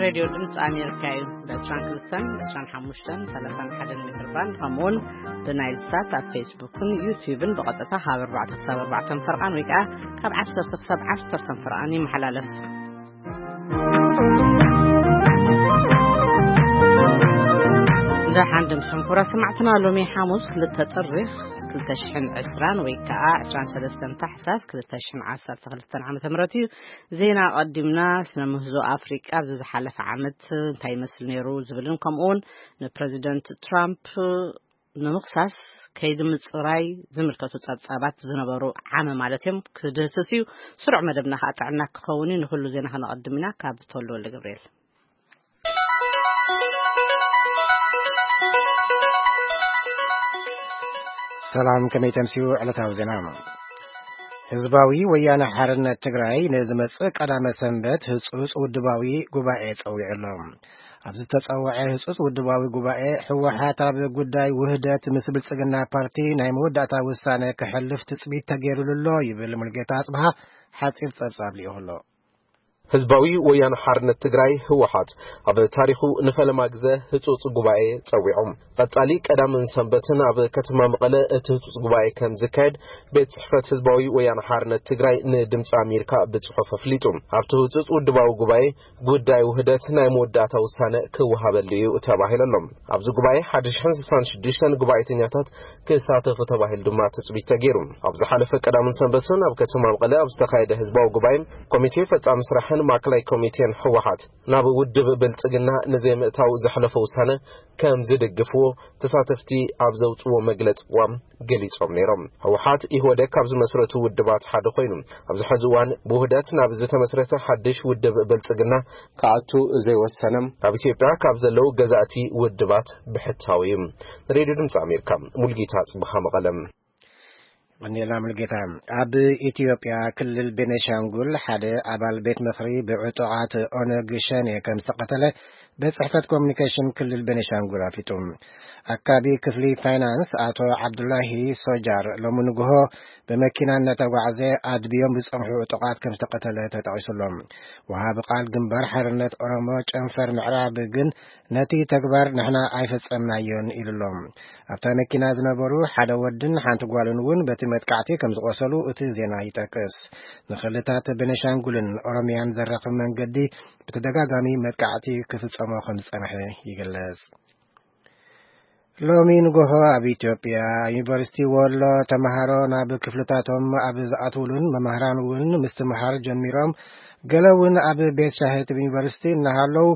ሬድዮ ድምፂ ኣሜሪካ እዩ። ብ22፣ ብ25፣ ብ31 ሜትር ባንድ፣ ከምኡውን ብናይል ሳት ኣብ ፌስቡክን ዩቲዩብን ብቐጥታ ካብ ኣርባዕተ ክሳብ ኣርባዕተ ፈርቓን ወይ ከዓ ካብ ዓሰርተ ክሳብ ዓሰርተ ፈርቓን ይመሓላለፍ። ደሓን ድምፅኩም ክቡራት ሰማዕትና፣ ሎሚ ሓሙስ ክልተ ጥሪ ክልተ ሽሕን ዕስራን ወይ ከዓ ዕስራን ሰለስተን ታሕሳስ ክልተ ሽሕን ዓሰርተ ክልተን ዓመተ ምህረት እዩ። ዜና ኣቐዲምና። ስነ ምህዞ ኣፍሪቃ ኣብዚ ዝሓለፈ ዓመት እንታይ ይመስል ነይሩ ዝብልን ከምኡውን ንፕረዚደንት ትራምፕ ንምኽሳስ ከይዲ ምፅራይ ዝምልከቱ ጸብጻባት ዝነበሩ ዓመ ማለት እዮም ክድህስስ እዩ። ስሩዕ መደብና ከዓ ጥዕና ክኸውን እዩ። ንኩሉ ዜና ከነቐድም ኢና። ካብ ተወልደ ወልደ ገብርኤል። ሰላም፣ ከመይ ተምስዩ? ዕለታዊ ዜና። ህዝባዊ ወያነ ሓርነት ትግራይ ንዝመጽእ ቀዳመ ሰንበት ህጹጽ ውድባዊ ጉባኤ ጸዊዑ ኣሎ። ኣብ ዝተጸውዐ ህጹጽ ውድባዊ ጉባኤ፣ ህወሓት ኣብ ጉዳይ ውህደት ምስ ብልጽግና ፓርቲ ናይ መወዳእታ ውሳነ ክሕልፍ ትጽቢት ተገይሩሉ ኣሎ ይብል ሙልጌታ ኣጽብሃ ሓጺር ጸብጻብ ልኢኹ ኣሎ። ህዝባዊ ወያነ ሓርነት ትግራይ፣ ህወሓት፣ ኣብ ታሪኹ ንፈለማ ግዘ ህጹጽ ጉባኤ ጸዊዖም። ቀጻሊ ቀዳምን ሰንበትን ኣብ ከተማ መቐለ እቲ ህጹጽ ጉባኤ ከም ዝካየድ ቤት ጽሕፈት ህዝባዊ ወያነ ሓርነት ትግራይ ንድምፂ ኣሜሪካ ብጽሑፍ ኣፍሊጡ። ኣብቲ ህጹጽ ውድባዊ ጉባኤ ጉዳይ ውህደት ናይ መወዳእታ ውሳነ ክወሃበሉ እዩ ተባሂሉ ኣሎ። ኣብዚ ጉባኤ ሓደ ሽሕን ስሳን ሽዱሽተን ጉባኤተኛታት ክሳተፉ ተባሂሉ ድማ ትጽቢት ተገይሩ። ኣብ ዝሓለፈ ቀዳምን ሰንበትን ኣብ ከተማ መቐለ ኣብ ዝተኻየደ ህዝባዊ ጉባኤ፣ ኮሚቴ ፈጻሚ ስራሕን ማእከላይ ኮሚቴን ህወሓት ናብ ውድብ ብልጽግና ንዘይምእታው ዘሕለፎ ውሳነ ከም ዝድግፍዎ ተሳተፍቲ ኣብ ዘውጽዎ መግለጺ እዋን ገሊጾም ነይሮም። ህወሓት ኢህወደግ ካብ ዝመስረቱ ውድባት ሓደ ኮይኑ፣ ኣብዚ ሕዚ እዋን ብውህደት ናብ ዝተመስረተ ሓድሽ ውድብ ብልጽግና ክኣቱ ዘይወሰነ ኣብ ኢትዮጵያ ካብ ዘለዉ ገዛእቲ ውድባት ብሕታዊ እዩ። ንሬድዮ ድምፂ ኣሜሪካ፣ ሙልጌታ ጽብሃ መቐለም። ቀኒልና ሙልጌታ። ኣብ ኢትዮጵያ ክልል ቤኔሻንጉል ሓደ ኣባል ቤት ምኽሪ ብዕጡቓት ኦነግ ሸኔ ከም ዝተቐተለ ቤት ጽሕፈት ኮሚኒኬሽን ክልል ቤኔሻንጉል ኣፍሊጡ። ኣካቢ ክፍሊ ፋይናንስ ኣቶ ዓብዱላሂ ሶጃር ሎሚ ንግሆ ብመኪና እናተጓዕዘ ኣድብዮም ብዝጸንሑ ዕጡቓት ከም ዝተቐተለ ተጠቒሱሎም። ወሃቢ ቃል ግንባር ሓርነት ኦሮሞ ጨንፈር ምዕራብ ግን ነቲ ተግባር ንሕና ኣይፈጸምናዮን ኢሉሎም። ኣብታ መኪና ዝነበሩ ሓደ ወድን ሓንቲ ጓልን እውን በቲ መጥቃዕቲ ከም ዝቖሰሉ እቲ ዜና ይጠቅስ። ንክልታት ቤኔሻንጉልን ኦሮሚያን ዘራኽብ መንገዲ ብተደጋጋሚ መጥቃዕቲ ክፍጸሞ ከም ዝጸንሐ ይግለጽ። ሎሚ ንጎሆ ኣብ ኢትዮጵያ ዩኒቨርሲቲ ወሎ ተምሃሮ ናብ ክፍልታቶም ኣብ ዝኣትውሉን መምህራን እውን ምስትምሃር ጀሚሮም፣ ገለ እውን ኣብ ቤት ሻሂ እቲ ዩኒቨርሲቲ እናሃለዉ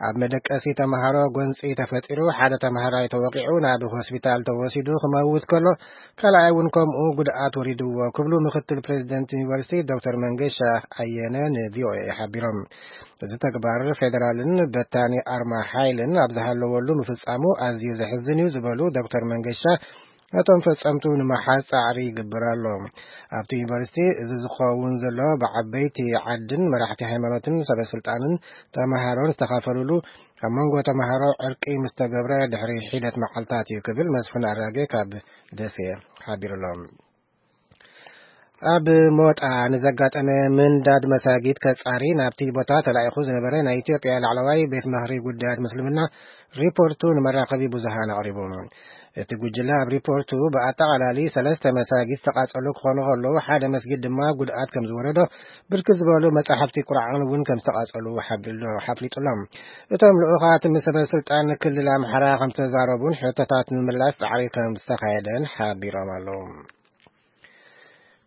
ኣብ መደቀሲ ተምሃሮ ጎንፂ ተፈጢሩ፣ ሓደ ተምሃራይ ተወቂዑ ናብ ሆስፒታል ተወሲዱ ክመውት ከሎ፣ ካልኣይ እውን ከምኡ ጉድኣት ወሪድዎ ክብሉ ምክትል ፕሬዚደንት ዩኒቨርሲቲ ዶክተር መንገሻ ኣየነ ንቪኦኤ ሓቢሮም። እዚ ተግባር ፌደራልን በታኒ ኣርማ ሓይልን ኣብ ዝሃለወሉ ምፍጻሙ ኣዝዩ ዘሕዝን እዩ ዝበሉ ዶክተር መንገሻ፣ ነቶም ፈጸምቱ ንምሓዝ ጻዕሪ ይግበር ኣሎ። ኣብቲ ዩኒቨርሲቲ እዚ ዝኸውን ዘሎ ብዓበይቲ ዓድን መራሕቲ ሃይማኖትን ሰበ ስልጣንን ተመሃሮን ዝተኻፈሉሉ ኣብ መንጎ ተመሃሮ ዕርቂ ምስ ተገብረ ድሕሪ ሒደት መዓልታት እዩ ክብል መስፍን ኣራጌ ካብ ደሴ ሓቢሩሎም። ኣብ ሞጣ ንዘጋጠመ ምንዳድ መሳጊድ ከጻሪ ናብቲ ቦታ ተላኢኹ ዝነበረ ናይ ኢትዮጵያ ላዕለዋይ ቤት ምኽሪ ጉዳያት ምስልምና ሪፖርቱ ንመራኸቢ ብዙሃን ኣቕሪቡ። እቲ ጉጅለ ኣብ ሪፖርቱ ብኣጠቓላሊ ሰለስተ መሳጊድ ዝተቓጸሉ ክኾኑ ከለዉ፣ ሓደ መስጊድ ድማ ጉድኣት ከም ዝወረዶ፣ ብርክት ዝበሉ መጻሕፍቲ ቁርኣን እውን ከም ዝተቓጸሉ ሓቢሉ-፣ ሓፍሊጡሎም። እቶም ልኡኻት ምስ ሰበ ስልጣን ክልል ኣምሓራ ከም ዝተዛረቡን ሕቶታት ንምምላስ ጻዕሪ ከም ዝተኻየደን ሓቢሮም ኣለዉ።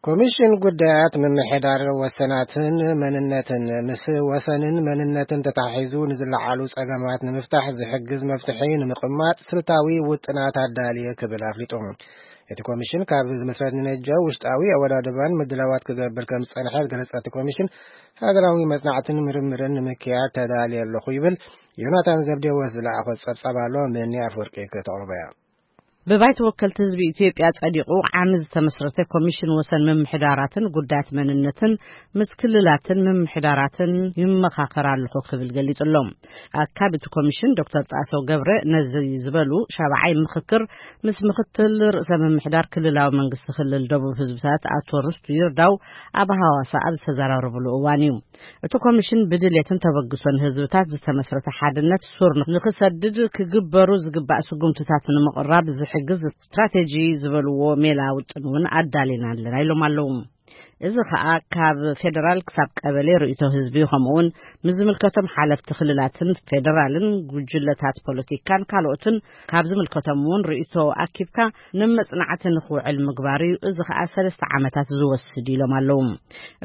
ኮሚሽን ጉዳያት ምምሕዳር ወሰናትን መንነትን፣ ምስ ወሰንን መንነትን ተታሒዙ ንዝለዓሉ ጸገማት ንምፍታሕ ዝሕግዝ መፍትሒ ንምቕማጥ ስልታዊ ውጥናት ኣዳልየ ክብል ኣፍሊጡ። እቲ ኮሚሽን ካብ ዝምስረት ንነጀው ውሽጣዊ ኣወዳድባን ምድላዋት ክገብር ከም ዝጸንሐ ዝገለጸ እቲ ኮሚሽን፣ ሃገራዊ መጽናዕትን ምርምርን ንምክያድ ተዳልየ ኣለኹ ይብል። ዮናታን ዘብዴዎስ ዝለኣኾ ጸብጻብ ኣሎ፣ ምኒ ኣፍወርቂ ከተቕርቦ እያ። ብባይቶ ወከልቲ ህዝቢ ኢትዮጵያ ጸዲቑ ዓሚ ዝተመስረተ ኮሚሽን ወሰን ምምሕዳራትን ጉዳያት መንነትን ምስ ክልላትን ምምሕዳራትን ይመኻኸር ኣለኹ ክብል ገሊጹ ኣሎ። ኣካቢ እቲ ኮሚሽን ዶክተር ጣሰው ገብረ ነዚ ዝበሉ ሻብዓይ ምኽክር ምስ ምኽትል ርእሰ ምምሕዳር ክልላዊ መንግስቲ ክልል ደቡብ ህዝብታት ኣቶ ርስቱ ይርዳው ኣብ ሃዋሳ ኣብ ዝተዘራረብሉ እዋን እዩ። እቲ ኮሚሽን ብድሌትን ተበግሶን ህዝብታት ዝተመስረተ ሓድነት ሱር ንክሰድድ ክግበሩ ዝግባእ ስጉምትታት ንምቕራብ ዝሕግዝ ስትራቴጂ ዝበልዎ ሜላ ውጥን እውን ኣዳሊና ኣለና ኢሎም ኣለዉ። እዚ ከኣ ካብ ፌደራል ክሳብ ቀበሌ ርእይቶ ህዝቢ፣ ከምኡውን ምስ ዝምልከቶም ሓለፍቲ ክልላትን ፌደራልን ጉጅለታት ፖለቲካን ካልኦትን ካብ ዝምልከቶም እውን ርእይቶ ኣኪብካ ንመጽናዕቲ ንክውዕል ምግባር እዩ። እዚ ከኣ ሰለስተ ዓመታት ዝወስድ ኢሎም ኣለዉ።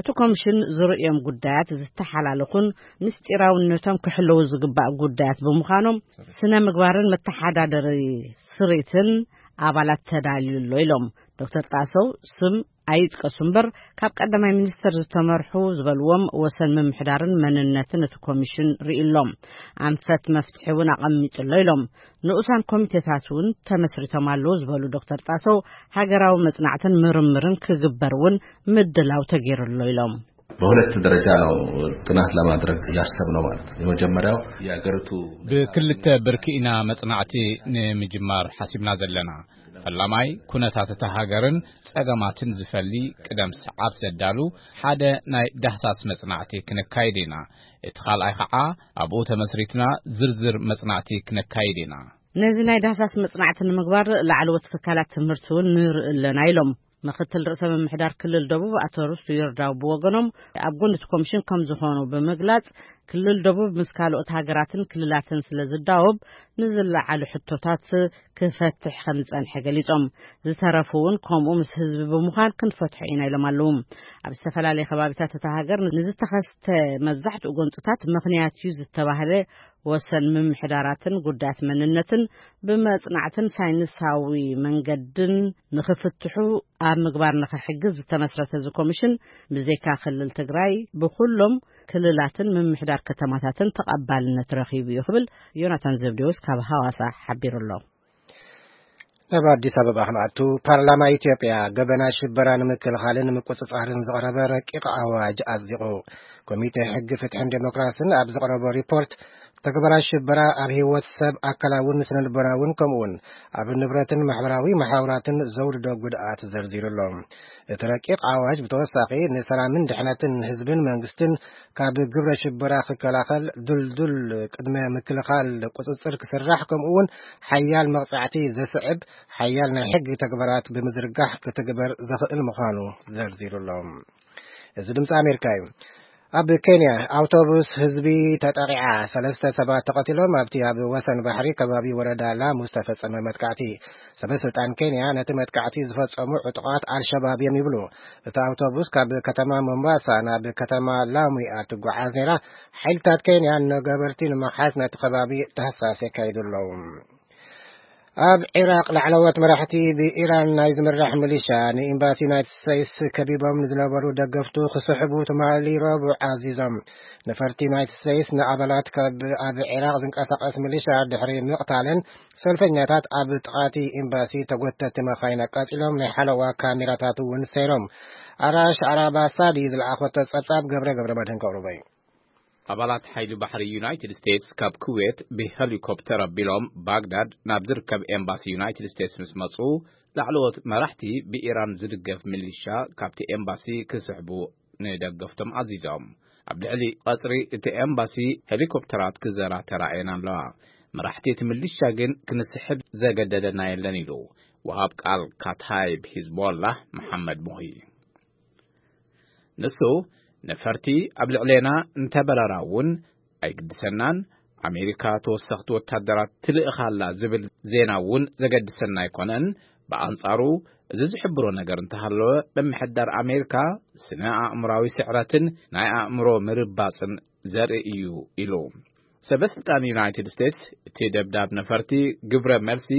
እቲ ኮሚሽን ዝርእዮም ጉዳያት ዝተሓላለኹን ምስጢራውነቶም ክሕለዉ ዝግባእ ጉዳያት ብምዃኖም ስነ ምግባርን መተሓዳደሪ ስሪትን ኣባላት ተዳልዩ ኣሎ ኢሎም። ዶክተር ጣሰው ስም ኣይጥቀሱ እምበር ካብ ቀዳማይ ሚኒስተር ዝተመርሑ ዝበልዎም ወሰን ምምሕዳርን መንነትን እቲ ኮሚሽን ርእሎም ኣንፈት መፍትሒ እውን ኣቐሚጡ ኣሎ ኢሎም። ንኡሳን ኮሚቴታት እውን ተመስሪቶም ኣለዉ ዝበሉ ዶክተር ጣሰው ሃገራዊ መጽናዕትን ምርምርን ክግበር እውን ምድላው ተገይሩ ኣሎ ኢሎም። በሁለት ደረጃ ነው ጥናት ለማድረግ ያሰብነው ማለት ነው። የመጀመሪያው የሀገሪቱ ብክልተ ብርኪ ኢና መጽናዕቲ ንምጅማር ሓሲብና ዘለና። ፈላማይ ኩነታት እታ ሃገርን ጸገማትን ዝፈሊ ቅደም ሰዓብ ዘዳሉ ሓደ ናይ ዳህሳስ መጽናዕቲ ክነካይድ ኢና። እቲ ካልኣይ ከዓ ኣብኡ ተመስሪትና ዝርዝር መጽናዕቲ ክነካይድ ኢና። ነዚ ናይ ዳህሳስ መጽናዕቲ ንምግባር ላዕለዎት ትካላት ትምህርቲ እውን ንርኢ ኣለና ኢሎም። ምክትል ርእሰ ምምሕዳር ክልል ደቡብ ኣቶ ርስቱ ይርዳው ብወገኖም ኣብ ጎኒ እቲ ኮሚሽን ከም ዝኾኑ ብምግላጽ ክልል ደቡብ ምስ ካልኦት ሃገራትን ክልላትን ስለ ዝዳወብ ንዝለዓሉ ሕቶታት ክፈትሕ ከም ዝጸንሐ ገሊጾም። ዝተረፉ እውን ከምኡ ምስ ህዝቢ ብምዃን ክንፈትሖ ኢና ኢሎም ኣለዉ። ኣብ ዝተፈላለየ ከባቢታት እታ ሃገር ንዝተኸስተ መብዛሕትኡ ጎንጽታት ምኽንያት እዩ ዝተባህለ ወሰን ምምሕዳራትን ጉዳያት መንነትን ብመጽናዕትን ሳይንሳዊ መንገድን ንኽፍትሑ ኣብ ምግባር ንኽሕግዝ ዝተመስረተ እዚ ኮሚሽን ብዘይካ ክልል ትግራይ ብኩሎም ክልላትን ምምሕዳር ከተማታትን ተቐባልነት ረኺቡ እዩ ክብል ዮናታን ዘብዴዎስ ካብ ሃዋሳ ሓቢሩ ኣሎ። ናብ ኣዲስ ኣበባ ክንኣቱ፣ ፓርላማ ኢትዮጵያ ገበናት ሽበራ ንምክልኻልን ንምቁጽጻርን ዝቐረበ ረቂቕ ኣዋጅ ኣጽዲቑ። ኮሚቴ ሕጊ፣ ፍትሕን ዴሞክራስን ኣብ ዘቕረቦ ሪፖርት፣ ተግባራት ሽበራ ኣብ ህይወት ሰብ ኣካላውን ስነልቦናውን ከምኡውን ኣብ ንብረትን ማሕበራዊ መሓውራትን ዘውርዶ ጉድኣት ዘርዚሩ ኣሎ። እቲ ረቂቕ ኣዋጅ ብተወሳኺ ንሰላምን ድሕነትን ህዝብን መንግስትን ካብ ግብረ ሽበራ ክከላኸል ድልዱል ቅድመ ምክልኻል ቁጽጽር ክስራሕ ከምኡውን ሓያል መቕጻዕቲ ዘስዕብ ሓያል ናይ ሕጊ ተግባራት ብምዝርጋሕ ክትግበር ዘኽእል ምዃኑ ዘርዚሩ ኣሎ። እዚ ድምፂ ኣሜሪካ እዩ። ኣብ ኬንያ ኣውቶቡስ ህዝቢ ተጠቂዓ ሰለስተ ሰባት ተቐቲሎም። ኣብቲ ኣብ ወሰን ባሕሪ ከባቢ ወረዳ ላሙ ዝተፈጸመ መጥቃዕቲ ሰበ ስልጣን ኬንያ ነቲ መጥቃዕቲ ዝፈጸሙ ዕጡቓት ኣልሸባብ እዮም ይብሉ። እቲ ኣውቶቡስ ካብ ከተማ ሞምባሳ ናብ ከተማ ላሙ እያ ትጓዓዝ ነይራ። ሓይልታት ኬንያ ንገበርቲ ንምሓዝ ነቲ ከባቢ ዳህሳስ የካይዱ ኣለዉ። ኣብ ዒራቕ ላዕለዎት መራሕቲ ብኢራን ናይ ዝምራሕ ሚሊሻ ንኤምባሲ ዩናይትድ ስቴትስ ከቢቦም ንዝነበሩ ደገፍቱ ክስሕቡ ትማሊ ረቡዕ ኣዚዞም። ነፈርቲ ዩናይትድ ስቴትስ ንኣባላት ካብ ኣብ ዒራቕ ዝንቀሳቐስ ሚሊሻ ድሕሪ ምቕታለን ሰልፈኛታት ኣብ ጥቓቲ ኤምባሲ ተጎተቲ መኻይን ኣቃጺሎም ናይ ሓለዋ ካሜራታት እውን ሰይሮም። ኣራሽ ኣራባሳዲ ዝለኣኾቶ ጸብጻብ ገብረ ገብረ መድህን ከቕርቦ እዩ። ኣባላት ሓይሊ ባሕሪ ዩናይትድ ስቴትስ ካብ ኩዌት ብሄሊኮፕተር ኣቢሎም ባግዳድ ናብ ዝርከብ ኤምባሲ ዩናይትድ ስቴትስ ምስ መጹ፣ ላዕለዎት መራሕቲ ብኢራን ዝድገፍ ሚሊሻ ካብቲ ኤምባሲ ክስሕቡ ንደገፍቶም ኣዚዞም። ኣብ ልዕሊ ቀጽሪ እቲ ኤምባሲ ሄሊኮፕተራት ክዘራ ተራእየን ኣለዋ። መራሕቲ እቲ ሚሊሻ ግን ክንስሕብ ዘገደደና የለን ኢሉ ወሃብ ቃል ካታይብ ሂዝቦላህ መሓመድ ሙሂ። ንሱ ነፈርቲ ኣብ ልዕሌና እንተበረራ እውን ኣይግድሰናን፣ ኣሜሪካ ተወሰኽቲ ወታደራት ትልእኻላ ዝብል ዜና እውን ዘገድሰና ኣይኮነን። ብኣንጻሩ እዚ ዝሕብሮ ነገር እንተሃለወ፣ ምምሕዳር ኣሜሪካ ስነ ኣእምራዊ ስዕረትን ናይ ኣእምሮ ምርባጽን ዘርኢ እዩ ኢሉ። ሰበ ስልጣን ዩናይትድ ስቴትስ እቲ ደብዳብ ነፈርቲ ግብረ መልሲ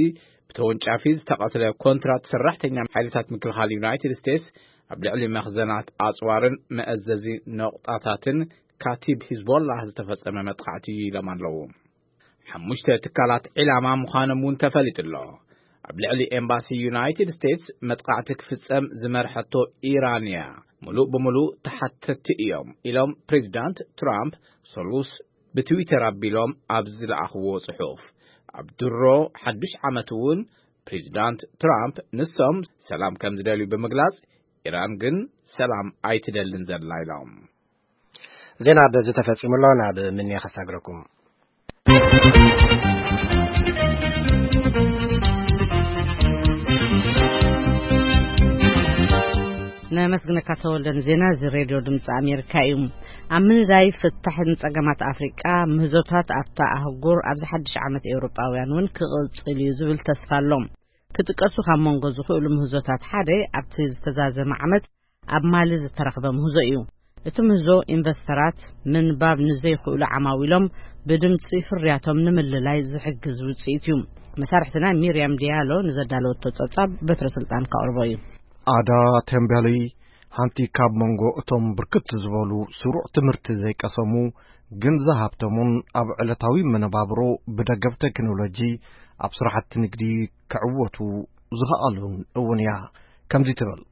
ብተወንጫፊ ዝተቐትለ ኮንትራት ሰራሕተኛ ሓይልታት ምክልኻል ዩናይትድ ስቴትስ ኣብ ልዕሊ መኽዘናት ኣጽዋርን መእዘዚ ነቑጣታትን ካቲብ ሂዝቦላህ ዝተፈጸመ መጥቃዕቲ እዩ ኢሎም ኣለዉ። ሓሙሽተ ትካላት ዒላማ ምዃኖም እውን ተፈሊጡ ኣሎ። ኣብ ልዕሊ ኤምባሲ ዩናይትድ ስቴትስ መጥቃዕቲ ክፍጸም ዝመርሐቶ ኢራን እያ። ምሉእ ብምሉእ ተሓተትቲ እዮም ኢሎም ፕሬዚዳንት ትራምፕ ሰሉስ ብትዊተር ኣቢሎም ኣብ ዝለኣኽዎ ጽሑፍ። ኣብ ድሮ ሓዱሽ ዓመት እውን ፕሬዚዳንት ትራምፕ ንሶም ሰላም ከም ዝደልዩ ብምግላጽ፣ ኢራን ግን ሰላም ኣይትደልን ዘላ ኢሎም። ዜና በዚ ተፈጺሙ ኣሎ። ናብ ምንያ ከሳግረኩም። ነመስግነካ ተወልደ ንዜና እዚ ሬድዮ ድምፂ ኣሜሪካ እዩ። ኣብ ምንዳይ ፍታሕን ጸገማት ኣፍሪቃ ምህዞታት ኣብታ ኣህጉር ኣብዚ ሓድሽ ዓመት ኤውሮጳውያን እውን ክቕጽል እዩ ዝብል ተስፋ ኣሎ። ክጥቀሱ ካብ መንጎ ዝኽእሉ ምህዞታት ሓደ ኣብቲ ዝተዛዘመ ዓመት ኣብ ማሊ ዝተረኽበ ምህዞ እዩ። እቲ ምህዞ ኢንቨስተራት ምንባብ ንዘይኽእሉ ዓማዊሎም ብድምፂ ፍርያቶም ንምልላይ ዝሕግዝ ውፅኢት እዩ። መሳርሕትና ሚርያም ዲያሎ ንዘዳለወቶ ጸብጻብ በትረ ስልጣን ከቕርቦ እዩ። ኣዳ ቴምበሊ ሓንቲ ካብ መንጎ እቶም ብርክት ዝበሉ ስሩዕ ትምህርቲ ዘይቀሰሙ ግን ዝሃብተሙን ኣብ ዕለታዊ መነባብሮ ብደገፍ ቴክኖሎጂ ኣብ ስራሕቲ ንግዲ ክዕወቱ ዝኸኣሉን እውን እያ። ከምዚ ትብል።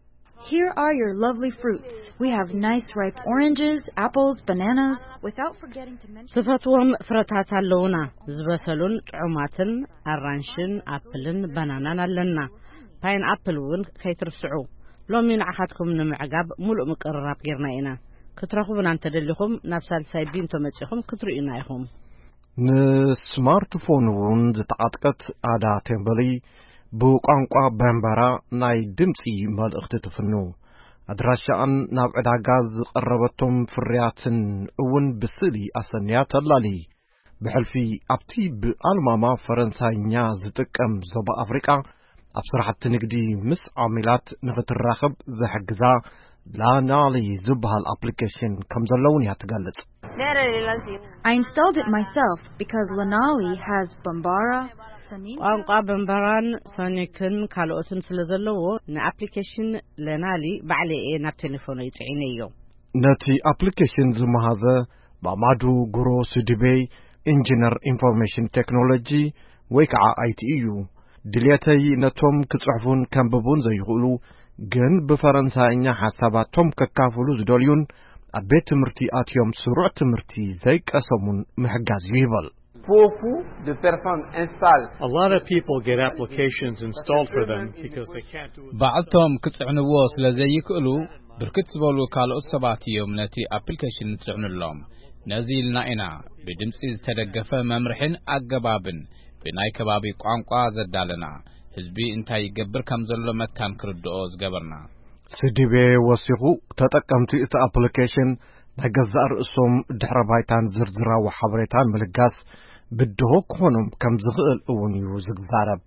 Here are your lovely fruits. We have nice ripe oranges, apples, bananas, without forgetting to mention ትፈትዎም ፍረታት ኣለውና፣ ዝበሰሉን ጥዑማትን ኣራንሽን ኣፕልን ባናናን ኣለና። ፓይን ኣፕል እውን ከይትርስዑ። ሎሚ ንዓኻትኩም ንምዕጋብ ሙሉእ ምቅርራብ ጌርና ኢና። ክትረኽቡና እንተደሊኹም ናብ ሳልሳይ ቢንቶ መጺኹም ክትርእዩና ኢኹም። ንስማርትፎን እውን ዝተዓጥቀት ኣዳ ቴምበሊ ብቋንቋ በምበራ ናይ ድምፂ መልእኽቲ ትፍኑ። ኣድራሻኣን ናብ ዕዳጋ ዝቐረበቶም ፍርያትን እውን ብስእሊ ኣሰንያ ተላሊ። ብሕልፊ ኣብቲ ብኣልማማ ፈረንሳይኛ ዝጥቀም ዞባ ኣፍሪቃ ኣብ ስራሕቲ ንግዲ ምስ ዓሚላት ንኽትራኸብ ዝሕግዛ ላናሊ ዝበሃል ኣፕሊኬሽን ከም ዘለውን እያ ትገልጽ። I installed it myself because Lanali has Bambara, Sonic. ቋንቋ በምበራን ሶኒክን ካልኦትን ስለ ዘለዎ ንኣፕሊኬሽን ለናሊ ባዕለ እየ ናብ ቴሌፎነይ ጽዒነዮ። ነቲ ኣፕሊኬሽን ዝመሃዘ ማማዱ ጉሮ ስድቤ ኢንጂነር ኢንፎርሜሽን ቴክኖሎጂ ወይ ከዓ ኣይቲ እዩ። ድልየተይ ነቶም ክጽሕፉን ከንብቡን ዘይኽእሉ ግን ብፈረንሳይኛ ሓሳባቶም ከካፍሉ ዝደልዩን ኣብ ቤት ትምህርቲ ኣትዮም ስሩዕ ትምህርቲ ዘይቀሰሙን ምሕጋዝ እዩ ይበል። Beaucoup de personnes installent. A lot of people get applications installed for them because they can't do it. ባዕልቶም ክጽዕንዎ ስለ ዘይክእሉ ብርክት ዝበሉ ካልኦት ሰባት እዮም ነቲ ኣፕሊኬሽን ዝጽዕኑሎም። ነዚ ኢልና ኢና ብድምጺ ዝተደገፈ መምርሕን ኣገባብን ብናይ ከባቢ ቋንቋ ዘዳለና። ህዝቢ እንታይ ይገብር ከም ዘሎ መታን ክርድኦ ዝገበርና። ስዲቤ ወሲኹ፣ ተጠቀምቲ እቲ ኣፕሊኬሽን ናይ ገዛእ ርእሶም ድሕረ ባይታን ዝርዝራዊ ሓበሬታን ምልጋስ ብድሆ ክኾኖም ከም ዝኽእል እውን እዩ ዝዛረብ።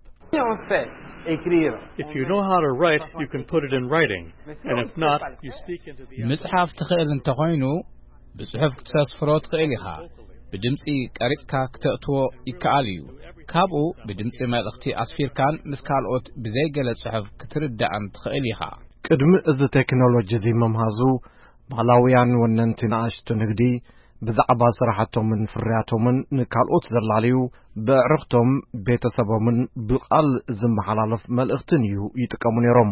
On fait écrire. If you know how to write, you can put it in writing. And if not, you speak into the other. ምጽሓፍ ትኽእል እንተኾይኑ ብጽሑፍ ክትሰስፍሮ ትኽእል ኢኻ። ብድምጺ ቀሪጽካ ክተእትዎ ይከኣል እዩ። ካብኡ ብድምጺ መልእኽቲ ኣስፊርካን ምስ ካልኦት ብዘይገለ ጽሑፍ ክትርዳእን ትኽእል ኢኻ። ቅድሚ እዚ ቴክኖሎጂ እዚ ምምሃዙ ማላውያን ወነንቲ ንኣሽቱ ንግዲ ብዛዕባ ስራሕቶምን ፍርያቶምን ንካልኦት ዘላለዩ ብዕርኽቶም ቤተሰቦምን ብቓል ዝመሓላለፍ መልእኽትን እዩ ይጥቀሙ ነይሮም።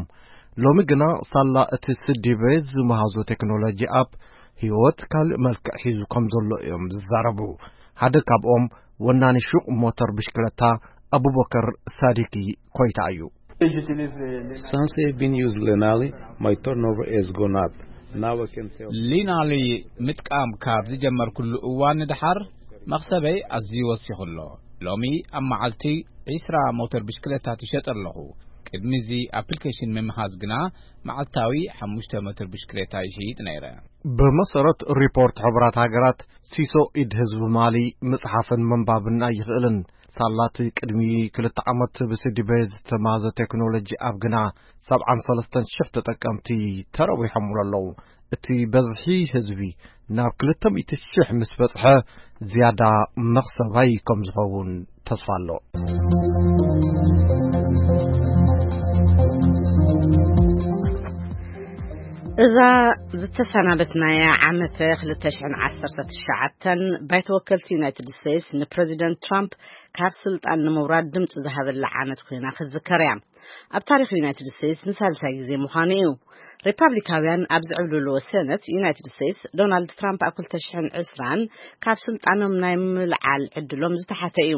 ሎሚ ግና ሳላ እቲ ስዲበ ዝመሃዞ ቴክኖሎጂ ኣፕ ህይወት ካልእ መልክዕ ሒዙ ከም ዘሎ እዮም ዝዛረቡ። ሓደ ካብኦም ወናኒ ሹቕ ሞተር ብሽክለታ ኣቡበከር ሳዲቂ ኮይታ እዩ። Since I've been using Lenali, my turnover has gone up. Now I can sell. ሊናሊ ምጥቃም ካብ ዝጀመርኩሉ እዋን ንድሓር መኽሰበይ ኣዝዩ ወሲኹ ኣሎ። ሎሚ ኣብ መዓልቲ ዒስራ ሞተር ብሽክለታ ትሸጥ ኣለኹ። ቅድሚ እዚ ኣፕሊኬሽን ምምሃዝ ግና መዓልታዊ ሓሙሽተ ሞተር ብሽክለታ ይሽይጥ ነይረ። ብመሰረት ሪፖርት ሕቡራት ሃገራት፣ ሲሶ ኢድ ህዝቢ ማሊ ምጽሓፍን ምንባብን ኣይኽእልን። ሳላቲ ቅድሚ ክልተ ዓመት ብስዲበ ዝተማዘ ቴክኖሎጂ ኣብ ግና ሰብዓን ሰለስተን ሽሕ ተጠቀምቲ ተረዊሖምሉ ኣለዉ። እቲ በዝሒ ህዝቢ ናብ ክልተ ሚእቲ ሽሕ ምስ በጽሐ፣ ዝያዳ መኽሰባይ ከም ዝኸውን ተስፋ ኣሎ። እዛ ዝተሰናበትናያ ዓመተ ክልተ ሽሕን ዓሰርተ ትሽዓተን ባይተ ወከልቲ ዩናይትድ ስቴትስ ንፕረዚደንት ትራምፕ ካብ ስልጣን ንምውራድ ድምፂ ዝሃበላ ዓመት ኮይና ክትዝከር እያ። ኣብ ታሪኽ ዩናይትድ ስቴትስ ንሳልሳይ ግዜ ምዃኑ እዩ። ሪፓብሊካውያን ኣብ ዝዕብልልዎ ሰነት ዩናይትድ ስቴትስ፣ ዶናልድ ትራምፕ ኣብ ክልተ ሽሕን ዕስራን ካብ ስልጣኖም ናይ ምልዓል ዕድሎም ዝተሓተ እዩ።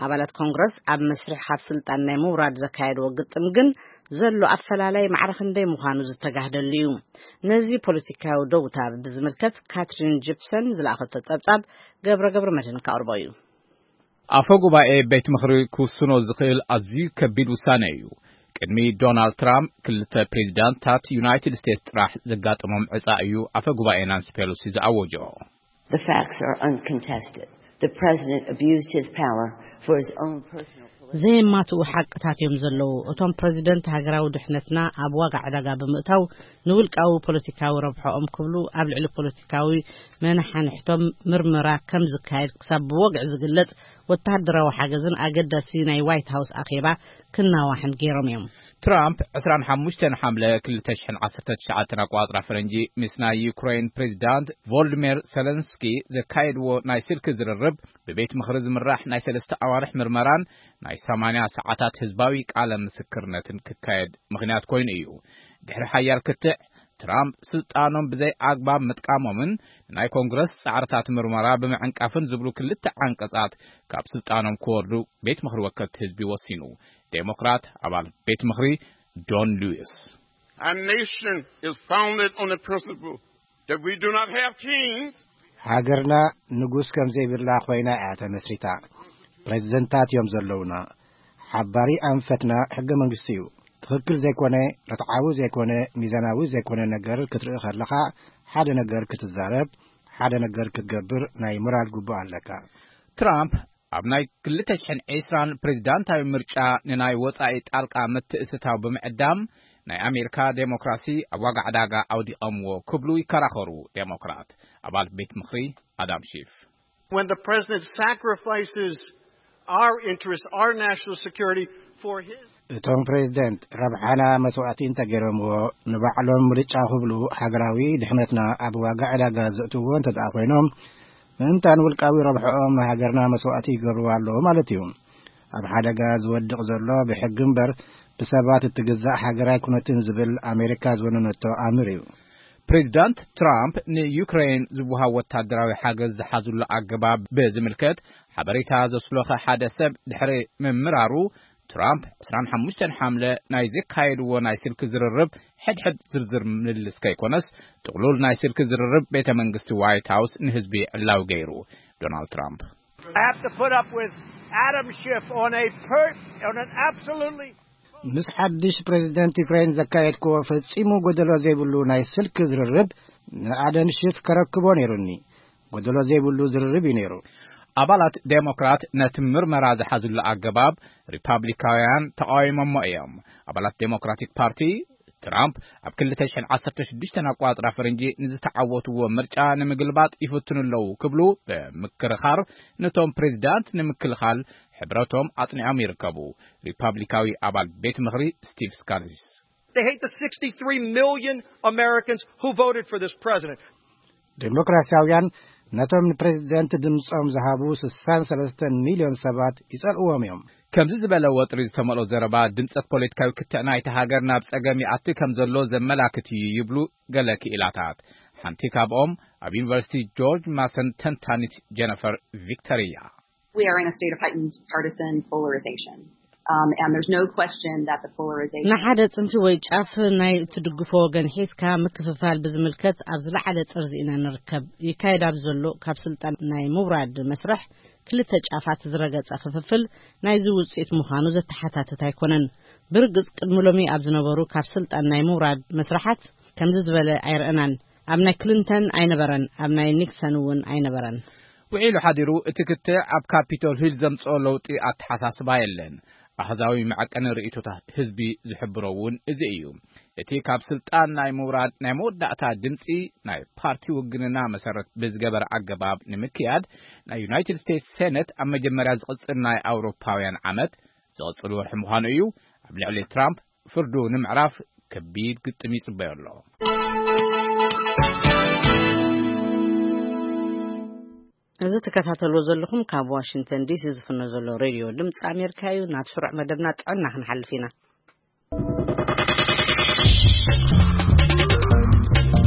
ኣባላት ኮንግረስ ኣብ መስርሕ ካብ ስልጣን ናይ ምውራድ ዘካየድዎ ግጥም ግን ዘሎ ኣፈላላይ ማዕረ ክንደይ ምዃኑ ዝተጋህደሉ እዩ። ነዚ ፖለቲካዊ ደውታ ብዝምልከት ካትሪን ጂፕሰን ዝለኣኸቶ ጸብጻብ ገብረ ገብረ መድህን ከቕርቦ እዩ። ኣፈ ጉባኤ ቤት ምኽሪ ክውስኖ ዝኽእል ኣዝዩ ከቢድ ውሳነ እዩ። ቅድሚ ዶናልድ ትራምፕ ክልተ ፕሬዚዳንታት ዩናይትድ ስቴትስ ጥራሕ ዘጋጠሞም ዕጻ እዩ ኣፈ ጉባኤ ናንሲ ፔሎሲ ዝኣወጆ። The facts are uncontested. The president abused his power for his own personal political. ዘየማትኡ ሓቅታት እዮም ዘለዉ። እቶም ፕረዚደንት ሃገራዊ ድሕነትና ኣብ ዋጋ ዕዳጋ ብምእታው ንውልቃዊ ፖለቲካዊ ረብሖኦም ክብሉ ኣብ ልዕሊ ፖለቲካዊ መናሓንሕቶም ምርመራ ከም ዝካየድ ክሳብ ብወግዒ ዝግለጽ ወተሃደራዊ ሓገዝን ኣገዳሲ ናይ ዋይት ሃውስ ኣኼባ ክናዋሕን ገይሮም እዮም። ትራምፕ ዕስራን ሓሙሽተን ሓምለ ክልተ ሽሕን ዓሰርተ ትሽዓተን ኣቋጽራ ፈረንጂ ምስ ናይ ዩክሬን ፕሬዚዳንት ቮልዲሚር ሰለንስኪ ዘካየድዎ ናይ ስልኪ ዝርርብ ብቤት ምኽሪ ዝምራሕ ናይ ሰለስተ ኣዋርሕ ምርመራን ናይ ሰማንያ ሰዓታት ህዝባዊ ቃለ ምስክርነትን ክካየድ ምኽንያት ኮይኑ እዩ። ድሕሪ ሓያል ክትዕ ትራምፕ ስልጣኖም ብዘይ ኣግባብ ምጥቃሞምን ናይ ኮንግረስ ጻዕርታት ምርመራ ብምዕንቃፍን ዝብሉ ክልተ ዓንቀጻት ካብ ስልጣኖም ክወርዱ ቤት ምኽሪ ወከልቲ ህዝቢ ወሲኑ። ዴሞክራት ኣባል ቤት ምኽሪ ዶን ሉዊስ። Our nation is founded on the principle that we do not have kings. ሃገርና ንጉስ ከም ዘይብላ ኮይና እያ ተመስሪታ። ፕሬዚደንታት እዮም ዘለውና። ሓባሪ ኣንፈትና ሕገ መንግስቲ እዩ። ትኽክል ዘይኮነ፣ ርትዓዊ ዘይኮነ፣ ሚዛናዊ ዘይኮነ ነገር ክትርኢ ከለኻ፣ ሓደ ነገር ክትዛረብ፣ ሓደ ነገር ክትገብር ናይ ሞራል ግቡእ ኣለካ። ትራምፕ ኣብ ናይ ክልተ ሽሕን ዕስራን ፕሬዚዳንታዊ ምርጫ ንናይ ወጻኢ ጣልቃ ምትእስሳው ብምዕዳም ናይ ኣሜሪካ ዴሞክራሲ ኣብ ዋጋ ዕዳጋ ኣውዲቐምዎ ክብሉ ይከራኸሩ ዴሞክራት ኣባል ቤት ምኽሪ ኣዳም ሺፍ። When the president sacrifices our interests, our national security for his እቶም ፕሬዚደንት ረብሓና መስዋእቲ እንተገይሮምዎ ንባዕሎም ምርጫ ክብሉ ሃገራዊ ድሕነትና ኣብ ዋጋ ዕዳጋ ዘእትዎ እንተ ደኣ ኮይኖም ምእንታን ውልቃዊ ረብሕኦም ንሃገርና መስዋእቲ ይገብርዋ ኣለዉ ማለት እዩ። ኣብ ሓደጋ ዝወድቕ ዘሎ ብሕጊ እምበር ብሰባት እትግዛእ ሃገር ኣይኮነትን ዝብል ኣሜሪካ ዝወነነቶ ኣምር እዩ። ፕሬዚዳንት ትራምፕ ንዩክሬን ዝወሃብ ወታደራዊ ሓገዝ ዝሓዙሉ ኣገባብ ብዝምልከት ሓበሬታ ዘስሎኸ ሓደ ሰብ ድሕሪ ምምራሩ ትራምፕ ዕስራን ሓሙሽተን ሓምለ ናይ ዘካየድዎ ናይ ስልኪ ዝርርብ ሕድሕድ ዝርዝር ምልልስ ከይኮነስ ጥቕሉል ናይ ስልኪ ዝርርብ ቤተ መንግስቲ ዋይት ሃውስ ንህዝቢ ዕላዊ ገይሩ። ዶናልድ ትራምፕ I have to put up with Adam Schiff on a per, on an absolutely ምስ ሓድሽ ፕሬዚደንት ዩክሬን ዘካየድክዎ ፈጺሙ ጎደሎ ዘይብሉ ናይ ስልኪ ዝርርብ ንኣደም ሽፍ ከረክቦ ነይሩኒ። ጎደሎ ዘይብሉ ዝርርብ እዩ ነይሩ። ኣባላት ዴሞክራት ነቲ ምርመራ ዝሓዝሉ ኣገባብ ሪፓብሊካውያን ተቃዊሞሞ እዮም። ኣባላት ዴሞክራቲክ ፓርቲ ትራምፕ ኣብ ክልተ ሽሕን ዓሰርተ ሽዱሽተን ኣቋጽራ ፈረንጂ ንዝተዓወትዎ ምርጫ ንምግልባጥ ይፍትኑ ኣለዉ ክብሉ ብምክርኻር ነቶም ፕሬዚዳንት ንምክልኻል ሕብረቶም ኣጽኒዖም ይርከቡ። ሪፓብሊካዊ ኣባል ቤት ምኽሪ ስቲቭ ስካሊስ። They hate the sixty-three million Americans who voted for this president. ዴሞክራሲያውያን ነቶም ንፕሬዚደንት ድምፆም ዝሃቡ ስሳን ሰለስተን ሚልዮን ሰባት ይፀልእዎም እዮም። ከምዚ ዝበለ ወጥሪ ዝተመልኦ ዘረባ ድምፀት ፖለቲካዊ ክትዕ ናይቲ ሃገር ናብ ፀገም ይኣቲ ከም ዘሎ ዘመላክት እዩ ይብሉ ገለ ክኢላታት። ሓንቲ ካብኦም ኣብ ዩኒቨርሲቲ ጆርጅ ማሰን ተንታኒት ጀነፈር ቪክተር እያ። We are in a state of heightened partisan polarization. Um, and there's no question that the polarization ንሓደ ጽንፊ ወይ ጫፍ ናይ እትድግፎ ወገን ሒዝካ ምክፍፋል ብዝምልከት ኣብ ዝለዓለ ጥርዚ ኢና ንርከብ። ይካየድ ኣብ ዘሎ ካብ ስልጣን ናይ ምውራድ መስርሕ ክልተ ጫፋት ዝረገጸ ክፍፍል ናይዚ ውጽኢት ምዃኑ ዘተሓታትት ኣይኮነን። ብርግጽ ቅድሚ ሎሚ ኣብ ዝነበሩ ካብ ስልጣን ናይ ምውራድ መስርሓት ከምዚ ዝበለ ኣይረእናን። ኣብ ናይ ክሊንተን ኣይነበረን፣ ኣብ ናይ ኒክሰን እውን ኣይነበረን። ውዒሉ ሓዲሩ እቲ ክትዕ ኣብ ካፒቶል ሂል ዘምጽኦ ለውጢ ኣተሓሳስባ የለን። ኣሃዛዊ መዐቀኒ ርእይቶታት ህዝቢ ዝሕብሮ እውን እዚ እዩ። እቲ ካብ ስልጣን ናይ ምውራድ ናይ መወዳእታ ድምጺ ናይ ፓርቲ ውግንና መሰረት ብዝገበረ ኣገባብ ንምክያድ ናይ ዩናይትድ ስቴትስ ሴነት ኣብ መጀመርያ ዝቕጽል ናይ ኣውሮፓውያን ዓመት ዝቕጽል ወርሒ ምዃኑ እዩ። ኣብ ልዕሊ ትራምፕ ፍርዱ ንምዕራፍ ከቢድ ግጥም ይጽበዮ ኣሎ። እዚ ትከታተልዎ ዘለኹም ካብ ዋሽንግተን ዲሲ ዝፍኖ ዘሎ ሬድዮ ድምፂ ኣሜሪካ እዩ። ናብ ስሩዕ መደብና ጥዕና ክንሓልፍ ኢና።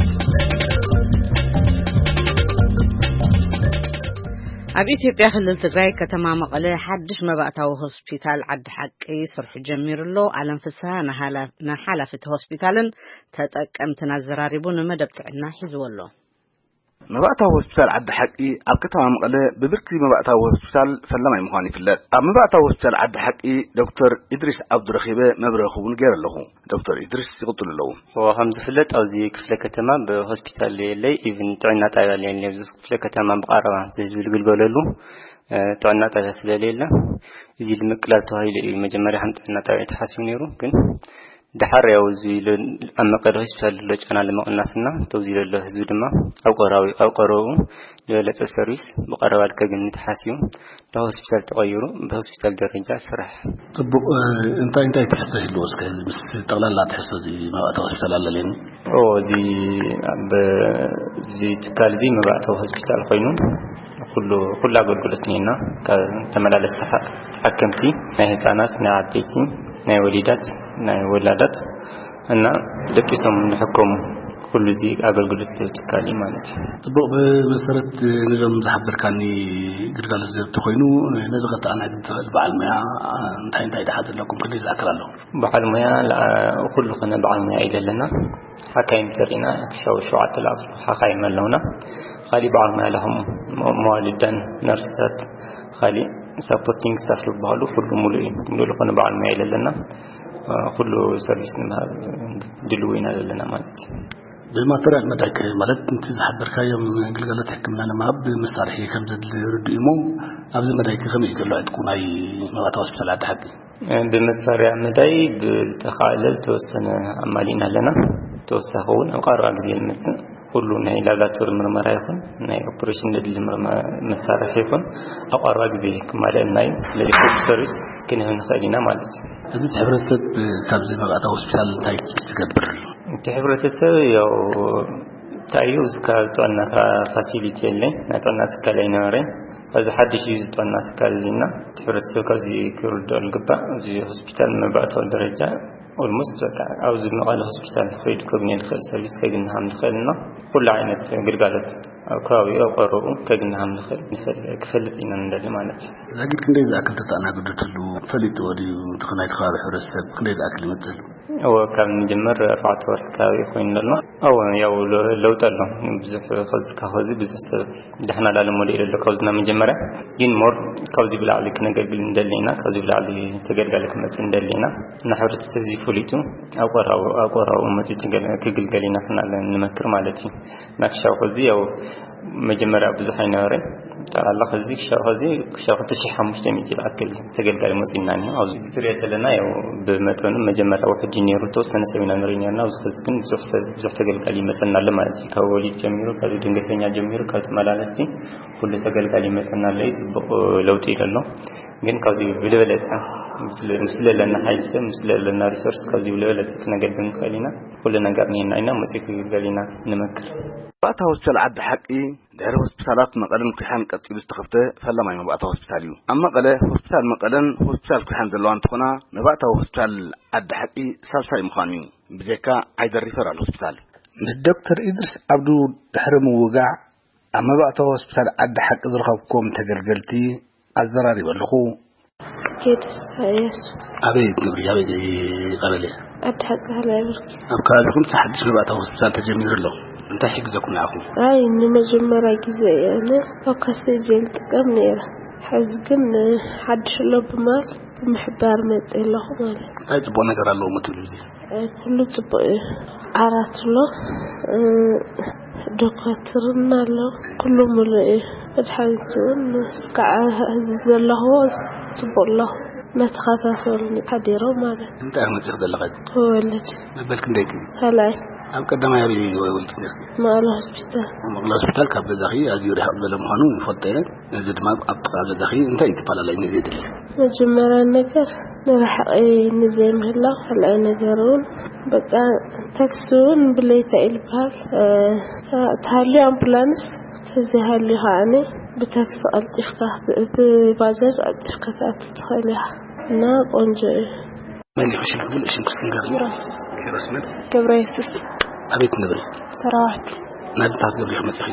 ኣብ ኢትዮጵያ ክልል ትግራይ ከተማ መቐለ ሓድሽ መባእታዊ ሆስፒታል ዓዲ ሓቂ ስርሑ ጀሚሩ ኣሎ። ኣለም ፍስሃ ንሃላ-፣ ንሓላፊ እቲ ሆስፒታልን ተጠቀምትን ኣዘራሪቡ ንመደብ ጥዕና ሒዝዎ ኣሎ። መባእታዊ ሆስፒታል ዓዲ ሓቂ ኣብ ከተማ መቐለ ብብርኪ መባእታዊ ሆስፒታል ፈላማይ ምዃኑ ይፍለጥ። ኣብ መባእታዊ ሆስፒታል ዓዲ ሓቂ ዶክተር ኢድሪስ ዓብዱ ረኺበ መብርሂ ክውን ገይረ ኣለኹ። ዶክተር ኢድሪስ ይቕጽሉ ኣለዉ። እዎ፣ ከም ዝፍለጥ ኣብዚ ክፍለ ከተማ ብሆስፒታል የለይ፣ ኢቭን ጥዕና ጣብያ የለይ። ኣብዚ ክፍለ ከተማ ብቐረባ ህዝቢ ዝግልገለሉ፣ እ፣ ጥዕና ጣብያ ስለሌለ እዚ ንምቅላል ተባሂሉ እዩ መጀመርያ ከም ጥዕና ጣብያ ተሓሲቡ ነይሩ። ግን ደሓር ያው እዚ ለ-፣ ኣብ መቐለ ሆስፒታል ዘሎ ጫና ለመቕናስና ተውዚ ዘሎ ህዝቢ ድማ ኣብ ቀራዊ-፣ ኣብ ቀረቡ ዝበለጸ ሰርቪስ ብቐረባ ልከግኒ ተሓሲቡ ናብ ሆስፒታል ተቐይሩ ብሆስፒታል ደረጃ ስራሕ። ጽቡቕ፣ እ፣ እንታይ እንታይ ትሕዝቶ ይህልዎ? እስከ እዚ ምስ ጠቕላላ ትሕዝቶ እዚ መባእታዊ ሆስፒታል ኣለለኒ። ኦ፣ እዚ ኣብ እዚ ትካል እዚ መባእታዊ ሆስፒታል ኮይኑ ኩሉ፣ ኩሉ ኣገልግሎት እኒኤና። ካብ ተመላለስቲ ተሓ-፣ ተሓከምቲ፣ ናይ ህፃናት፣ ናይ ዓበይቲ፣ ናይ ወሊዳት፣ ናይ ወላዳት እና ደቂሶም ዝሕከሙ ኩሉ እዚ ኣገልግሎት ዝህብ ትካል እዩ ማለት እዩ። ጽቡቕ፣ ብመሰረት ነዞም ዝሓበርካኒ ግልጋሎት ዝህብ ተኾይኑ፣ ነዚ ከተኣናግድ ትኽእል በዓል ሞያ እንታይ እንታይ ድሓ ዘለኩም ክንደይ ዝኣክል ኣሎ? በዓል ሞያ ለኣ-፣ ኩሉ ኾነ በዓል ሞያ እዩ ዘለና። ሓካይም ተሪና ክሻው ሸውዓተ ለኣፍ ሓካይም ኣለውና። ካሊእ በዓል ሞያ ለኹም መዋልዳን ነርስታት፣ ካሊእ ሳፖርቲንግ ስታፍ ዝበሃሉ ኩሉ ሙሉእ እዩ። ሙሉእ ዝኾነ በዓል ሞያ እዩ ዘለና። ኩሉ ሰርቪስ ንምሃብ ድልው ኢና ዘለና ማለት እዩ። ብማተርያል መዳይክ ማለት፣ እቲ ዝሓበርካዮም ግልጋሎት ሕክምና ንምሃብ መሳርሒ ከም ዘድሊ ርዱእ እሞ፣ ኣብዚ መዳይክ ከመይ እዩ ዘሎ ዕጥቁ ናይ መባእታዊ ሆስፒታል ዓዲ ሓቂ? ብመሳርያ መዳይ ብዝተኻእለ ዝተወሰነ ኣማሊእና ኣለና። ተወሳኺ እውን ኣብ ቀረባ ግዜ ዝመጽእ ኩሉ ናይ ላብራቶሪ ምርመራ ይኹን ናይ ኦፕሬሽን ዘድሊ ምርመራ መሳርሒ ይኹን ኣብ ቀረባ ግዜ ክማልአልና እዩ። ስለዚ ኩሉ ሰርቪስ ክንህብ ንኽእል ኢና ማለት እዩ። እዚ እቲ ሕብረተሰብ ካብዚ መባእታዊ ሆስፒታል እንታይ ትገብር? እቲ ሕብረተሰብ ያው እንታይ እዩ፣ እዚ ከባቢ ጥዕና ፋ-፣ ፋሲሊቲ የለኝ፣ ናይ ጥዕና ትካል ኣይነበረኝ። እዚ ሓድሽ እዩ፣ እዚ ጥዕና ትካል እዚ እና እቲ ሕብረተሰብ ካብዚ ክርድኦ ዝግባእ፣ እዚ ሆስፒታል መባእታዊ ደረጃ ኦልሞስት በቃ ኣብዚ መቐለ ሆስፒታል ከይዱ ከግንዮ ዝኽእል ሰርቪስ ከግኒ ከም ዝኽእል እና ኩሉ ዓይነት ግልጋሎት ኣብ ከባቢኡ ኣብ ቀረብኡ ከግኒ ከም ዝኽእል ንፈል-፣ ክፈልጥ ኢና ንደሊ ማለት እዩ። ዛጊድ ክንደይ ዝኣክል ተተኣናግዱ ትህልዉ? ፈሊጥዎ ድዩ? እቲ ናይቲ ከባቢ ሕብረተሰብ ክንደይ ዝኣክል ይመጽእ? እወ፣ ካብ ንጅምር ኣርባዕተ ወርሒ ከባቢ ኮይኑ ኣሎ። እወ፣ ያው ለ-፣ ለውጢ ኣሎ። ብዙሕ ከዚ ካብ ከዚ ብዙሕ ሰብ ደሕና ላለ ሞዴል ኣሎ ካብዚ ናብ መጀመርያ። ግን ሞር ካብዚ ብላዕሊ ክነገልግል እንደሊ ኢና፣ ካብዚ ብላዕሊ ተገልጋሊ ክመጽእ እንደሊ ኢና። እና ሕብረተሰብ እዚ ፈሊጡ ኣብ ቆራቡ፣ ኣብ ቆራቡ መጺኡ ተገል-፣ ክግልገል ኢና ክናለ ንመክር ማለት እዩ። እና ክሻው ከዚ ያው መጀመርያ ብዙሕ ኣይነበረን። ጠቕላላ ከዚ ክሻው ከዚ፣ ክሻው ክልተ ሺሕ ሓሙሽተ ሚእቲ ዝኣክል ተገልጋሊ መጺእና እኒኦ። ኣብዚ ትሪኦ ዘለና ያው ብመጠኑ መጀመርያ ውሕጅ ነይሩ፣ ተወሰነ ሰብ ኢና ንርኢ ነርና። ኣብዚ ከዚ ግን ብዙሕ ሰብ፣ ብዙሕ ተገልጋሊ ይመጸና ኣሎ ማለት እዩ። ካብ ወሊድ ጀሚሩ፣ ካብ ድንገተኛ ጀሚሩ፣ ካብ ተመላለስቲ ኩሉ ተገልጋሊ ይመጸና ኣሎ እዩ። ጽቡቕ ለውጢ እዩ ዘሎ። ግን ካብዚ ብዝበለጸ ምስ፣ ምስ ለለና ሓይሊ ሰብ፣ ምስ ለለና ሪሶርስ ካብዚ ብዝበለጸ ክነገልግል ንኽእል ኢና። ኩሉ ነገር ንሄና ኢና፣ መጺኡ ክግልገል ኢና ንመክር። ባእታ ሆስፒታል ዓዲ ሓቂ ድሕሪ ሆስፒታላት መቐለን ኩሓን ቀጺሉ ዝተኸፍተ ፈላማይ መባእታዊ ሆስፒታል እዩ። ኣብ መቐለ ሆስፒታል መቐለን ሆስፒታል ኩሓን ዘለዋ እንትኾና፣ መባእታዊ ሆስፒታል ዓዲ ሓቂ ሳልሳይ ምዃኑ እዩ። ብዘይካ ዓይደር ሪፈራል ሆስፒታል። ምስ ዶክተር ኢድሪስ ዓብዱ ድሕሪ ምውጋዕ፣ ኣብ መባእታዊ ሆስፒታል ዓዲ ሓቂ ዝረኸብኩም ተገልገልቲ ኣዘራሪበ ኣለኹ። ኬደስ ኢሳያስ። ኣበይ ትነብሪ? ኣበይ ቀበሌ? ዓዲ ሓቂ ካልኣይ ብርኪ። ኣብ ከባቢኹም እቲ ሓድሽ መባእታዊ ሆስፒታል ተጀሚሩ ኣሎ። እንታይ ይሕግዘኩም ንዓኹም? ኣይ፣ ንመጀመርያ ግዜ እየ ኣነ ኣብ ካስቴጅ ዝጥቀም ነይረ። ሕዚ ግን ሓድሽ ኣሎ ብማል ብምሕባር መፅእ ኣለኹ ማለት እዩ። እንታይ ፅቡቕ ነገር ኣለዎ ትብሉ እዚ? ኣይ፣ ኩሉ ጽቡቕ እዩ። ዓራት ኣሎ፣ እ፣ ዶኳትርን ኣሎ፣ ኩሉ ምሉእ እዩ። መድሓኒት እውን እስካዕ ሕዚ ዘለኽዎ ጽቡቕ ኣሎ። እናተኸታተሉኒ ሓዲሮም ማለት እዩ። እንታይ መጺኽ ዘለኻ? ክወልድ። መበል ክንደይኪ? ካልኣይ። ኣብ ቀዳማይ ኣበይ ወሊድኪ ነርኪ? መቐለ ሆስፒታል። ኣብ መቐለ ሆስፒታል ካብ ገዛኺ ኣዝዩ ርሕቕ ዝበለ ምዃኑ ይፈልጦ እየ። ነዚ ድማ ኣብ ጥቓ ገዛኺ እንታይ እዩ ተፈላለይ ነዚ የድሊ? መጀመርያ ነገር ንርሕቂ ንዘይምህላው፣ ካልኣይ ነገር እውን በቃ፣ ታክሲ እውን ብለይታ እዩ ዝበሃል። እ፣ ታ-፣ ተሃልዩ ኣምቡላንስ፣ ተዘይሃልዩ ከዓኒ ብታክሲ ቀልጢፍካ፣ ብባጃጅ ቀልጢፍካ ትኣቱ ትኽእል ኢኻ። እና ቆንጆ እዩ። መን ኢኹ ሽም? ሙሉእ ሽም ክስንገር። ኪሮስ። ኪሮስ መን? ገብረ የሱስ። ኣበይ ትነብሪ? ሰራዋት። ናብ እንታይ ትገብሪ ኢኹ መፂኺ?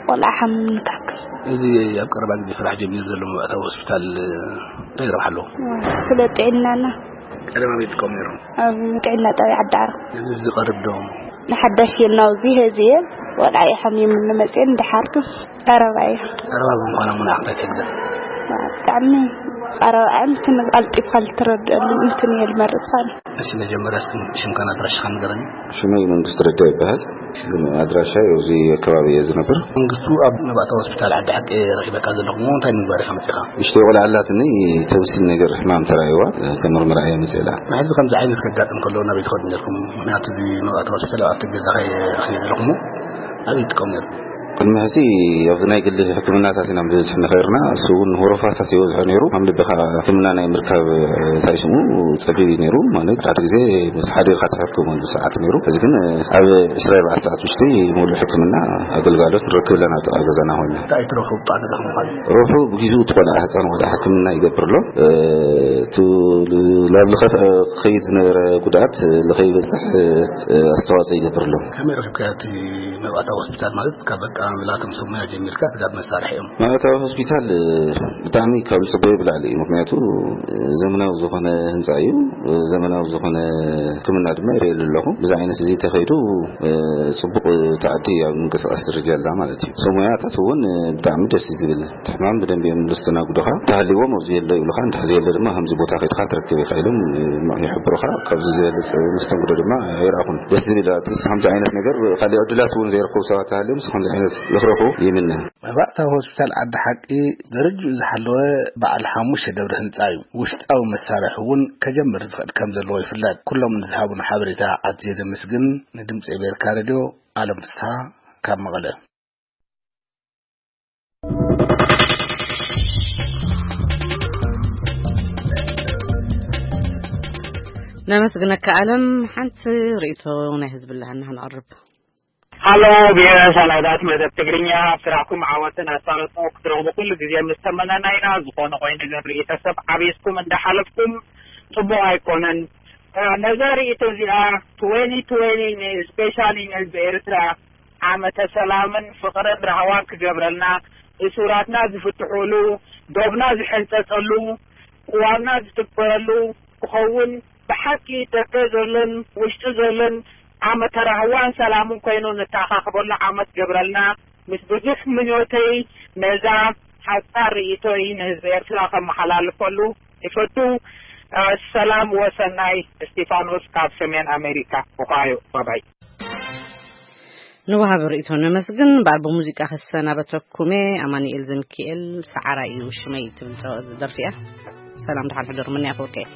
ቆልዓ ሓሚም ንታክል። እዚ ኣብ ቀረባ ግዜ ስራሕ ጀሚሩ ዘሎ መባእታዊ ሆስፒታል እንታይ ረብሓ ኣለዎ? ስለ ጥዕናና። ቀደም ኣበይ ትጥቀሙ ነይርኩም? ኣብ ጥዕና ጣብያ ዓዲ ዓረብ። እዚ ዝቐርብ ዶ? ንሓዳሽ እየ ናብዚ ሄዚ እየ። ቆልዓ እዩ ሓሚሙ ንመፅእን ድሓር ቀረባ እዩ። ቀረባ ብምዃና እሞ ንዓኽ እንታይ ትሕግዘ? ብጣዕሚ ቀረባ እንትን ቀልጢፋ ልትረድአሉ እንትን እየ ልመርፃ። እሺ፣ መጀመርያ እስኪ ሽምካን ኣድራሻኻን ንገረኒ። ሽመይ መንግስቱ ረዳ ይበሃል። ግን ኣድራሻ ኣብዚ ከባቢ እየ ዝነብር። መንግስቱ፣ ኣብ መባእታዊ ሆስፒታል ዓዲ ሓቂ ረኺበካ ዘለኹ እሞ እንታይ ንምግባር ኢኻ መፂኻ? ንእሽተይ ቆልዓ ኣላትኒ፣ ቶንሲል ነገር ሕማም ተራእይዋ፣ ከመርምራ እየ መፅእ ኢላ። ንሕዚ ከምዚ ዓይነት ከጋጥም ከሎ ናበይ ትኸዱ ነርኩም? ምኽንያቱ እዚ መባእታዊ ሆስፒታል ኣብቲ ገዛኻ እየ ረኺበ ዘለኹ እሞ ኣበይ ትጥቀሙ ነርኩም? ቅድሚ ሕዚ ኣብዚ ናይ ግሊ ሕክምናታት ኢና ብብዝሒ ንኸይርና፣ እሱ እውን ወረፋታት ይበዝሖ ነይሩ። ከም ልብኻ ሕክምና ናይ ምርካብ፣ እንታይ ስሙ፣ ጸቢብ እዩ ነይሩ። ማለት ሓደ ግዜ ምስ ሓዲርካ ትሕክመሉ ሰዓት ነይሩ። እዚ ግን ኣብ ዕስራ ኣርባዕተ ሰዓት ውሽጢ ሙሉእ ሕክምና ኣገልጋሎት ንረክብ ኣለና ኣብ ጥቓ ገዛና ኮይና። እንታይ ትረኽቡ ብጣዕሚ ኢኹም ምዃኑ? ርሑ ብግዚኡ እቲ ቆልዓ፣ ህፃን ቆልዓ ሕክምና ይገብር ኣሎ። እ፣ እቲ ላብ ልኸፍ ክኸይድ ዝነበረ ጉድኣት ልኸይበፅሕ፣ እ፣ ኣስተዋፅኦ ይገብር ኣሎ። ከመይ ረኺብካዮ እቲ መባእታዊ ሆስፒታል? ማለት ካብ ኣቀማምላ እቶም ሰብ ሞያ ጀሚርካ ስጋብ መሳርሒኦም። መባእታዊ ሆስፒታል፣ እ፣ ብጣዕሚ ካብ ዝፅበዮ ብላዕሊ እዩ። ምኽንያቱ፣ እ፣ ዘመናዊ ዝኾነ ህንፃ እዩ። እ፣ ዘመናዊ ዝኾነ ሕክምና ድማ ይርእየሉ ኣለኹ። ብዚ ዓይነት እዚ ተኸይዱ፣ እ፣ ፅቡቕ፣ እ፣ ታዕዲ ኣብ ምንቅስቃስ ደረጃ ኣላ ማለት እዩ። ሰብ ሞያታት እውን፣ እ፣ ብጣዕሚ ደስ እዩ ዝብል። እቲ ሕማም ብደንቢ እዮም ዘስተናግዱኻ። እንተሃልይዎም ኣብዚ የሎ ይብሉኻ፣ እንተዘየለ ድማ ከምዚ ቦታ ከይድካ ትረክብ ኢኻ ኢሎም፣ እ፣ ይሕብሩኻ። ካብዚ ዝበልፅ መስተንግዶ ድማ ኣይረኣኹን። ደስ ዝብል፣ ኣትሊስት ከምዚ ዓይነት ነገር፣ ካልእ ዕድላት እውን ዘይረኸቡ ሰባት ተሃልዮም፣ ከምዚ ዓይነት ንክረኽቡ ይምነ። መባእታዊ ሆስፒታል ዓዲ ሓቂ ደረጅኡ ዝሓለወ በዓል ሓሙሽተ ደብሪ ህንፃ እዩ። ውሽጣዊ መሳርሒ እውን ከጀምር ዝኽእል ከም ዘለዎ ይፍለጥ። ኩሎም ንዝሃቡና ሓበሬታ ኣዝየ ዘመስግን። ንድምፂ ኣሜሪካ ሬድዮ ኣለም ፍስሃ ካብ መቐለ። ነመስግነካ ኣለም። ሓንቲ ርእይቶ ናይ ህዝቢ ኣለሃና ክንቐርብ። ሃሎ፣ ብሄረ ሳላዳት መደብ ትግርኛ፣ ኣብ ስራሕኩም ዓወትን ኣሳልጦ ክትረኽቡ ኩሉ ግዜ ምስ ተመነና ኢና። ዝኾነ ኮይኑ ግን ርእይቶ ሰብ ዓቢስኩም እንዳሓለፍኩም ጽቡቕ ኣይኮነን። እ፣ ነዛ ርእይቶ እዚኣ፣ ትዌንቲ ትዌንቲ ን-፣ ስፔሻሊ ንህዝቢ ኤርትራ ዓመተ ሰላምን ፍቕርን ራህዋን ክገብረልና፣ እሱራትና ዝፍትሑሉ፣ ዶብና ዝሕንጸጸሉ፣ ቅዋምና ዝትግበረሉ ክኸውን፣ ብሓቂ ደገ ዘሎን ውሽጢ ዘሎን ዓመተ ራህዋን ሰላምን ኮይኑ ንተኣኻኸበሉ ዓመት ገብረልና። ምስ ብዙሕ ምኞተይ ነዛ ሓጻር ርእይቶይ ንህዝቢ ኤርትራ ከመሓላልፈሉ ይፈቱ። እ፣ ሰላም ወሰናይ። እስቲፋኖስ ካብ ሰሜን ኣሜሪካ፣ ኦሃዮ። ባባይ። ንወሃቢ ርእይቶ ነመስግን። እምበኣር ብሙዚቃ ክሰናበተኩም እየ። ኣማኑኤል ዘሚካኤል፣ ሰዓራይ እዩ ሽመይ ትብል ጸ-፣ ደርፊ እያ። ሰላም፣ ደሓን ሕደሩ። ምንያ ክወቀየ።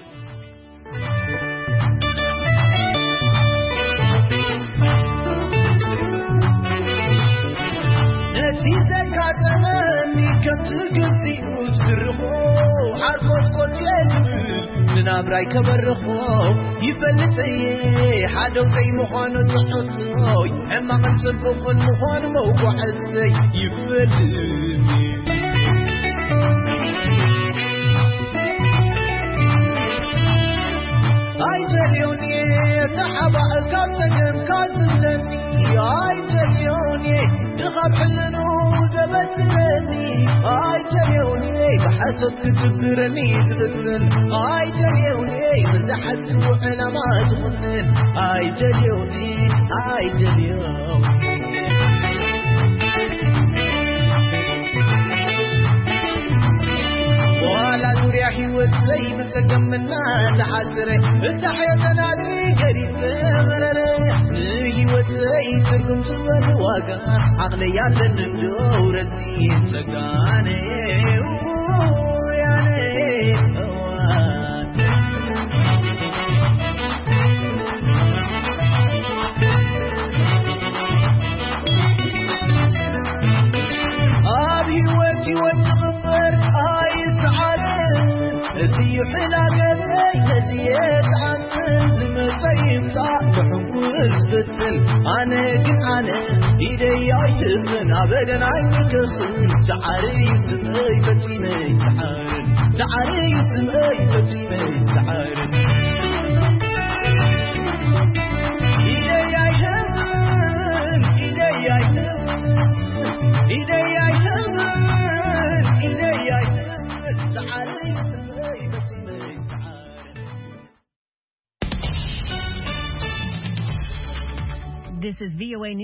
ነቲ ዘጋጠመኒ ከም ትግቢኡ ዝድርኾ፣ ሓርኮትኮት የብል ንናብራይ ከበርኾ። ይፈልጥ እየ ሓደው ዘይምዃኑ ትሕቶይ፣ ሕማቕን ጽቡቕን ምዃኑ መጓዕዘይ ይፈልጥ እየ። ኣይደልዮን እየ ተሓባእካ ጸገምካ ዝብለኒ፣ ኣይደልዮን እየ ድኻ ሕልኑ ዘበስረኒ፣ ኣይደልዮን እየ ብሓሶት ክትብረኒ ዝፍትን፣ ኣይደልዮን እየ ብዝሓዝክዎ ዕላማ ዝኹንን፣ ኣይደልዮን እየ፣ ኣይደልዮን። ዋላ ዙርያ ህይወት ዘይብጸገምና ተሓጽረ፣ እታ ሕየተናኒ ገዲፈ መረረ። ንህይወተይ ትርጉም ዝበሉ ዋጋ ዓቕለይ ኣለኒ እንዶ ረዚን ጸጋነ፣ ያነ፣ እዋ። ኣብ ህይወት ህይወት ትቕበር ኣይሰዓርን። እዚ እዩ ዕላገበይ፣ ነዚ የትዓትን ዝመጸ ይምጻእ። ኣነ ግን ኣነ ኢደይ ኣይህብን ኣበደን ኣይምልኽን ሰዓሪ ይስመይ ፈጺመይ ሰዓርን ሰዓሪ ይስመይ ፈጺመይ ሰዓርን ኢደይ ኣይህብን ኢደይ ኣይህብን ኢደይ ኣይህብን ኢደይ ኣይህብን ሰዓሪ ይስመይ ፈጺመይ ሰዓርን This is V O A News.